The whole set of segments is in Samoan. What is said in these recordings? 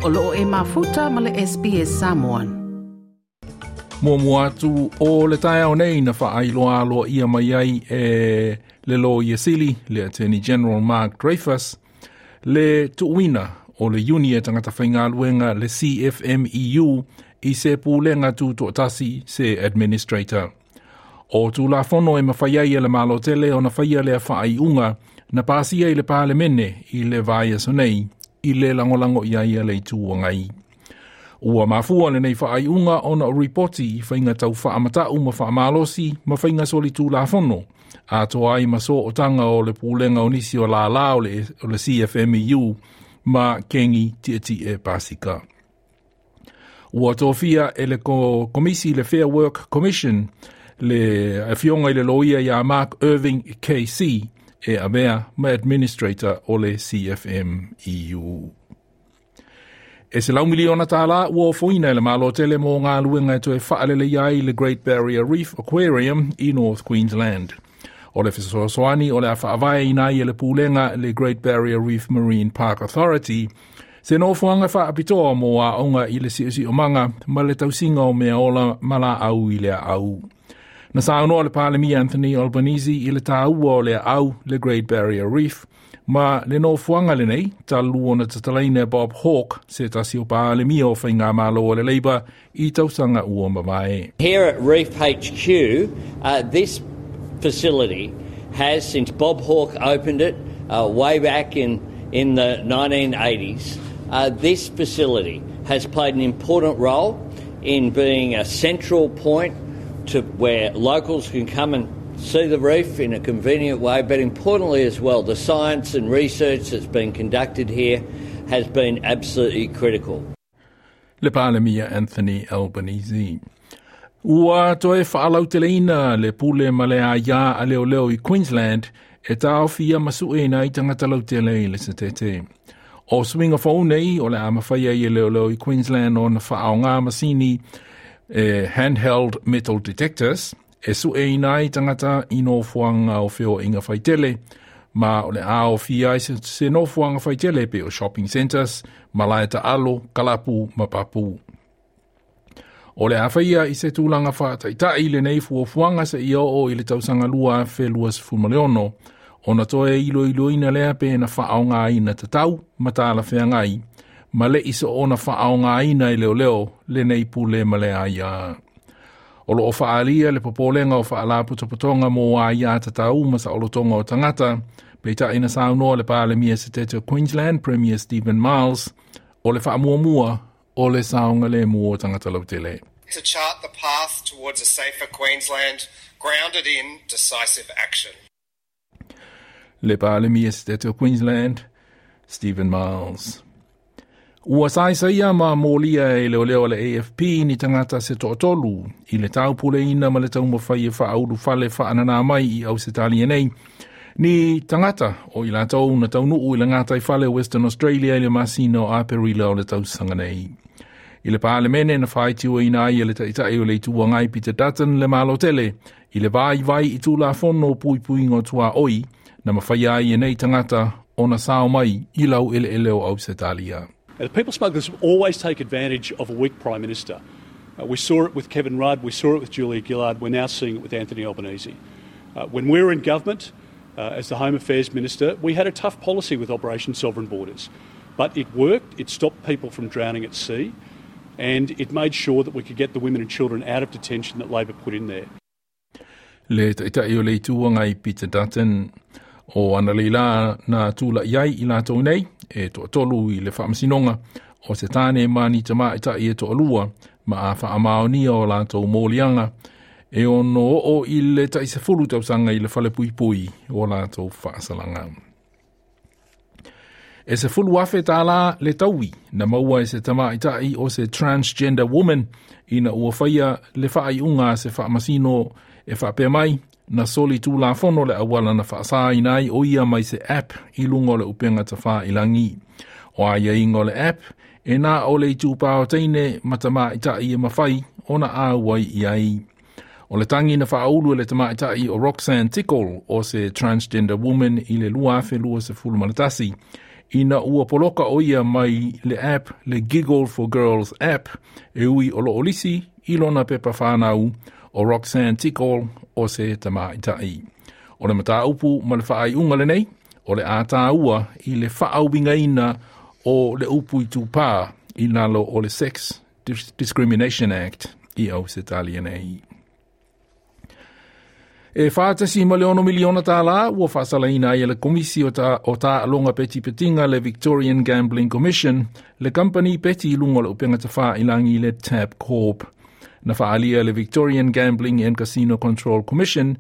O loo e mafuta ma le SBS Samoan. Muamua atu o le taeao nei na faailoa aloaia mai ai e le Loia Sili, le Attorney General Mark Dreyfus, le tuuina o le iuni e tagata faigaluega le CFMEU i se pulega tutoatasi se administrator. O Tulafono e mafai ai e le Malo tele ona faia lea faaiuga na pasia i le Palemene i le vaiaso nei i le lagolago i ai a le Itu Agai. Ua mafua lenei faaiuga ona o ripoti i faiga tau faamatau ma faamalosi ma faiga solitulafono atoa ai ma sootaga o le pulega o nisi o lālā o le, o le CFMEU ma Kengi Tietie Pasika. Ua tofia e le komisi le Fair Work Commission le afioga i le loia ia Mark Irving KC e avea ma administrator o le CFMEU. E $100 miliona ua ofoina e le Malo tele mo galuega e toe faaleleia ai le Great Barrier Reef Aquarium i North Queensland. O le fesoasoani o le a faavaeina ai e le pulega le Great Barrier Reef Marine Park Authority se nofoaga faapitoa mo aoga i le siosiomaga ma le tausiga o mea ola ma laau i le aau. Na saunoa le Palemia Anthony Albanese i le tāua o le aau le Great Barrier Reef ma le nofoaga lenei talu ona tatalaina e Bob Hawke se tasi o Palemia o Faigamalo o le Labour i tausaga ua mavae. Here at Reef HQ, this facility has, since Bob Hawke opened it way back in the 1980s, this facility has played an important role in being a central point to where locals can come and see the reef in a convenient way, but importantly as well, the science and research that's been conducted here has been absolutely critical. Le Palemia Anthony Albanese. Ua toe faalauteleina le pule ma le aiā a leoleo i Queensland e taofia ma sueina ai tagata lautele i le setete. O suiga fou nei o le a mafai ai e leoleo i Queensland ona faaaoga masini e handheld metal detectors e sueina ai tagata i nofoaga o feoaiga faitele ma o le a aofia ai se nofoaga faitele pei o shopping centres, malae taalo, kalapu ma papu. O le a faia i se tulaga faataitai lenei fuafuaga seia oo i le tausaga 2026 ona toe iloiloina lea pe na faaaogaina tatau ma talafeagai ma le i soona faaaogaina e leoleo lenei pule ma le aiā. O loo faaalia le popolega o faalapotopotoga mo aiā tatau ma saolotoga o tagata, peitai na saunoa le Palemia Setete o Queensland, Premier Stephen Miles, o le faamuamua o le saogalemu o tagata lautele. To chart the path towards a safer Queensland grounded in decisive action. Le Palemia Setete o Queensland, Stephen Miles. Ua saisaia ma molia e leoleo le AFP ni tagata se toatolu i le taupuleina ma le taumafai e faaulufale faananā mai i Ausetalia nei. Ni tagata o i latou na taunuu i le gataifale Western Australia i le masina o Aperila o le tausaga nei. I le Palemene na faitioina ai e le Taitai o le Itu Agai Peter Dutton le Malo tele i le vaivai i Tulafono puipuiga o tuaoi na mafaia ai e nei tagata ona sao mai i laueleele o Ausetalia. Now, the people smugglers always take advantage of a weak Prime Minister. We saw it with Kevin Rudd, we saw it with Julia Gillard, we're now seeing it with Anthony Albanese. When we were in government, as the Home Affairs Minister, we had a tough policy with Operation Sovereign Borders. But it worked, it stopped people from drowning at sea, and it made sure that we could get the women and children out of detention that Labor put in there. Le Taitai o le Itu Agai Peter Dutton. O analeila na tula'i ai i latou nei e toatolu i le faamasinoga o se tāne ma ni tamaitai e toalua ma a faamaonia o latou moliaga e ono oo i le tai 10 tausaga i le falepuipui o latou faasalaga. E $10,000 le taui na maua e se tamaitai o se transgender woman ina ua faia le faaiuga a se faamasino e faapea mai na soli tulafono le auala na faasaina ai o ia mai se app i luga o le upega tafailagi. O aiaiga o le app e na o le itupā o teine ma tamaitai e mafai ona auai i ai. O le tagi na faaulu e le tamaitai o Roxanne Tickle o se transgender woman i le 2021. Ina ua poloka ʻo ia mai le app le Giggle for Girls app e ui o loo lisi i lona pepa whānau o Roxanne Tickle o se tamaitai. O le mataupu ma le faaiuga lenei, o le a tāua i le faauigaina o le upu itupā i lalo o le Sex Discrimination Act i Ausetalia nei. E $4.6 miliona tālā ua faasalaina ai e le Komisi o, ta, o Taaloga Petipetiga le Victorian Gambling Commission le kampani peti i luga o le upega tafailagi le Tabcorp. Na faaalia e le Victorian Gambling and Casino Control Commission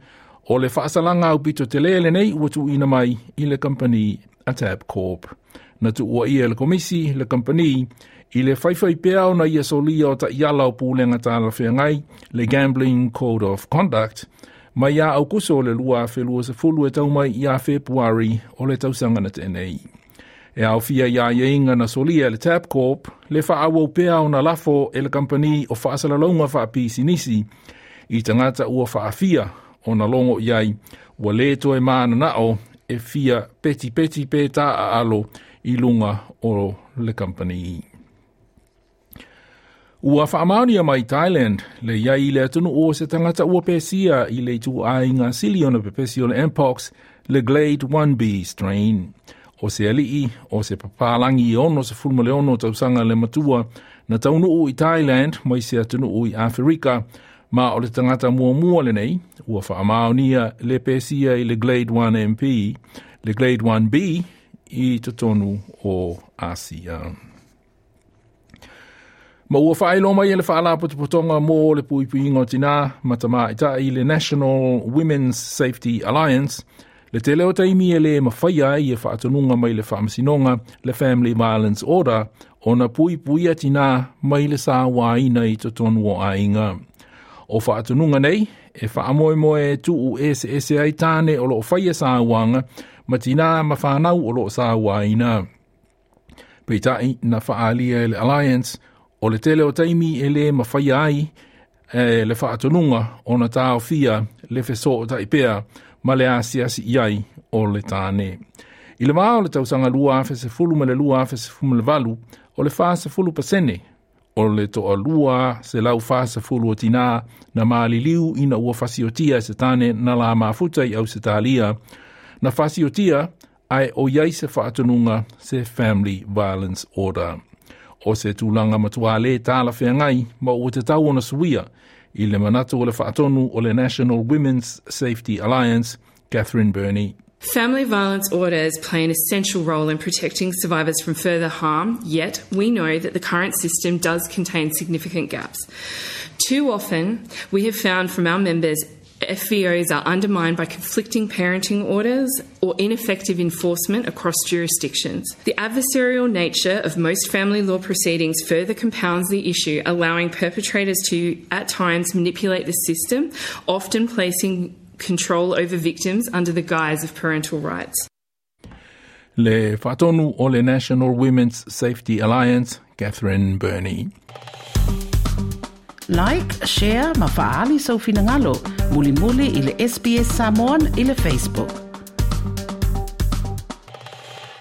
o le faasalaga aupito telē lenei ua tuuina mai i le kampani a Tabcorp. Na tuuaia e le Komisi le kampani i le faifai pea ona ia solia o taiala o pulega talafeagai le Gambling Code of Conduct mai ia Aukuso o le 2020 e tau mai ia Fepuari o le tausaga na tea nei. E aofia i aiaiga na solia e le Tabcorp le faaauau pea ona lafo e le kampani o faasalalauga faapisinisi i tagata ua faafia ona logo i ai ua lē toe mananao e fia petipeti pe taaalo i luga o le kampani. Ua faamaonia mai Thailand le i ai i le atunuu o se tagata ua pesia i le ituaiga sili ona pepesi o le Mpox, le Glade 1B strain. O se alii o se papalagi e 66 tausaga le matua na taunuu i Thailand mai se atunuu i Aferika, ma o le tagata muamua lenei ua faamaonia le pesia i le Glade 1 MP, le Glade 1B i totonu o Asia. Ma ua faailoa mai e le Faalapotopotoga mo le Puipuiga o Tinā ma Tamaitai le National Women's Safety Alliance le tele o taimi e lē mafaia ai e faatonuga mai le Faamasinoga le Family Violence Order ona puipuia tinā mai le sauaina i totonu o aiga. O faatonuga nei e faamoemoe e tuu eseese ai tāne o loo faia sauaga ma tinā ma fanau o loo sauaina. Peitai na faaalia e le Alliance o le tele o taimi e lē mafaia ai e le faatonuga ona taofia le fesootai pea ma le asiasi i ai o le tāne. I le vā o le tausaga 2010 ma le 2018, o le 40% o le 240 o tinā na maliliu ina ua fasiotia e se tāne na la mafuta i Ausetalia, na fasiotia ae o i ai se faatonuga se Family Violence Order. O se tulaga matua lē talafeagai ma ua tatau ona suia i le manatu o le faatonu o le National Women's Safety Alliance, Catherine Burney. Family violence orders play an essential role in protecting survivors from further harm, yet we know that the current system does contain significant gaps. Too often, we have found from our members FVOs are undermined by conflicting parenting orders or ineffective enforcement across jurisdictions. The adversarial nature of most family law proceedings further compounds the issue, allowing perpetrators to, at times, manipulate the system, often placing control over victims under the guise of parental rights. Le faatonu o le National Women's Safety Alliance, Catherine Burney. Like, share ma faaali sou finagalo. Mulimuli i le SBS Samoan i le Facebook.